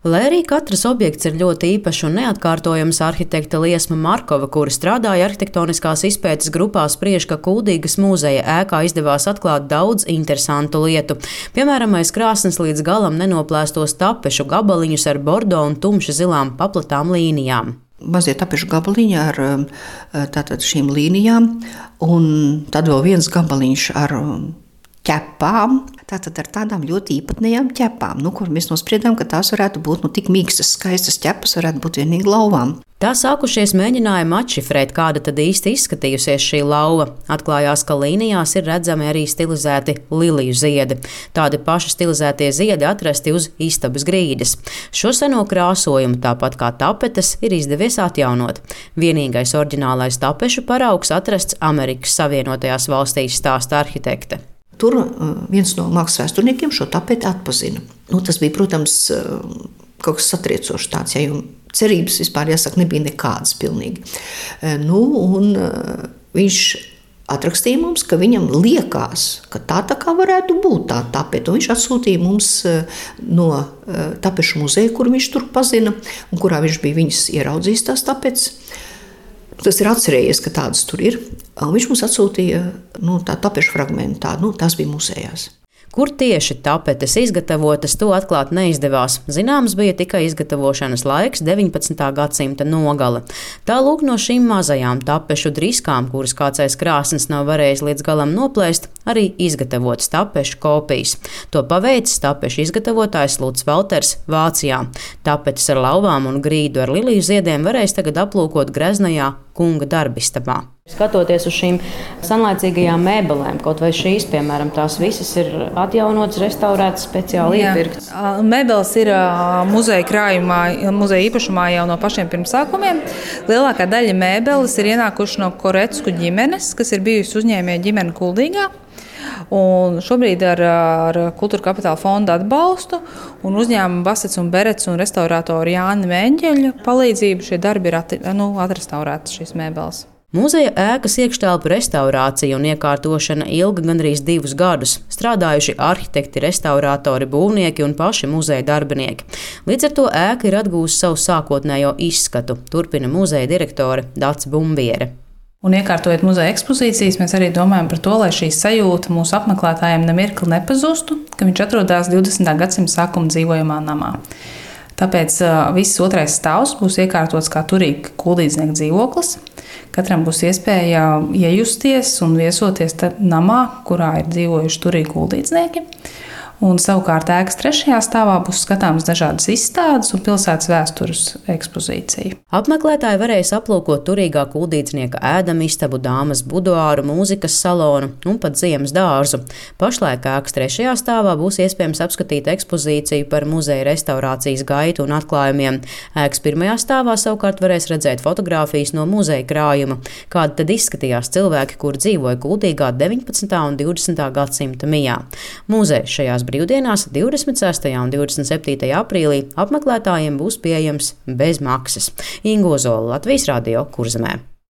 Lai arī katrs objekts ir ļoti īpašs un neatkārtojams, arhitekte Liesma Markova, kura strādāja arhitektoniskās izpētes grupā, spriež, ka Kuldīgas muzeja ēkā izdevās atklāt daudz interesantu lietu. Piemēram, aiz krāsnes līdz galam nenoplēstos tapešu gabaliņus ar bordo un tumši zilām paplatām līnijām. Mazie tapešu gabaliņi ar tātad šīm līnijām, un tad vēl viens gabaliņš ar ķepām, tātad ar tādām ļoti īpatnējām ķepām, kur mēs nospriedām, ka tās varētu būt tik mīkstas, skaistas ķepas, varētu būt vienīgi lauvām. Tā sākušies mēģinājumi atšifrēt, kāda tad īsti izskatījusies šī lauva. Atklājās, ka līnijās ir redzami arī stilizēti liliju ziedi. Tādi paši stilizētie ziedi atrasti uz istabas grīdas. Šo seno krāsojumu, tāpat kā tapetes, ir izdevies atjaunot. Vienīgais oriģinālais tapešu paraugs atrasts Amerikas Savienotajās valstīs, stāsta arhitekte. Tur viens no mākslas vēsturniekiem šo tapeti atpazina. Tas bija, protams, kaut kas satriecošs tāds, jo cerības vispār, jāsaka, nebija nekādas pilnīgi. Viņš atrakstīja mums, ka viņam liekas, ka tā kā varētu būt tā tapete. Viņš atsūtīja mums no tapešu muzeja, kur viņš tur pazina, un kurā viņš bija viņas ieraudzījis tās tapetes. Tas ir atcerējies, ka tādas tur ir. Viņš mums atsūtīja tā tapešu fragmentu, tās bija muzejās. Kur tieši tapetes izgatavotas, to atklāt neizdevās. Zināms bija tikai izgatavošanas laiks 19. gadsimta nogale. Tā lūk no šīm mazajām tapešu driskām, kuras kāds aiz krāsnes nav varējis līdz galam noplēst, arī izgatavotas tapešu kopijas. To paveicis tapešu izgatavotājs Lūds Valters Vācijā. Tapetes ar lauvām un grīdu ar liliju ziediem varēs tagad aplūkot greznajā Kunga darbistabā. Skatoties uz šīm senlaicīgajām mēbelēm, kaut vai šīs, piemēram, tās visas ir atjaunotas, restaurētas, speciāli iepirktas. Mēbeles ir muzeja krājumā, muzeja īpašumā jau no pašiem pirmsākumiem. Lielākā daļa mēbeles ir ienākuši no Korecku ģimenes, kas ir bijusi uzņēmēja ģimene Kuldīgā. Un šobrīd ar Kultūra Kapitāla fonda atbalstu un uzņēmuma Basets un Berets un restaurātora Jāņa Mēņģeļa palīdzību šie darbi ir atrestaurētas šīs mēbeles. Muzeja ēkas iekštelpu restaurācija un iekārtošana ilga gandrīz 2 gadus. Strādājuši arhitekti, restaurātori, būvnieki un paši muzeja darbinieki. Līdz ar to ēka ir atgūst savu sākotnējo izskatu, turpina muzeja direktore Dace Bumbiere. Un iekārtojot muzeja ekspozīcijas, mēs arī domājam par to, lai šī sajūta mūsu apmeklētājiem nemirkli nepazustu, ka viņš atrodas 20. gadsimta sākuma dzīvojamā namā. Tāpēc viss otrais stāvs būs iekārtots kā turīgi kuldīdznieku dzīvoklis. Katram būs iespēja iejusties un viesoties namā, kurā ir dzīvojuši turīgi kuldīdznieki. Un savukārt ēkas 3. stāvā būs skatāmas dažādas izstādes un pilsētas vēstures ekspozīcija. Apmeklētāji varēs aplūkot turīgā kuldīdznieka ēdamistabu, dāmas buduāru, mūzikas salonu un pat ziemas dārzu. Pašlaik ēkas 3. stāvā būs iespējams apskatīt ekspozīciju par muzeja restaurācijas gaitu un atklājumiem. Ēkas 1. stāvā savukārt varēs redzēt fotogrāfijas no muzeja krājuma, kāda tad izskatījās cilvēki, kur dzīvoja Kuldīgā 19. un 20. gadsimta mijā. Muzejs šajās brīvdienās 26. un 27. aprīlī apmeklētājiem būs pieejams bez maksas. Inga Ozola, Latvijas Radio, Kurzemē.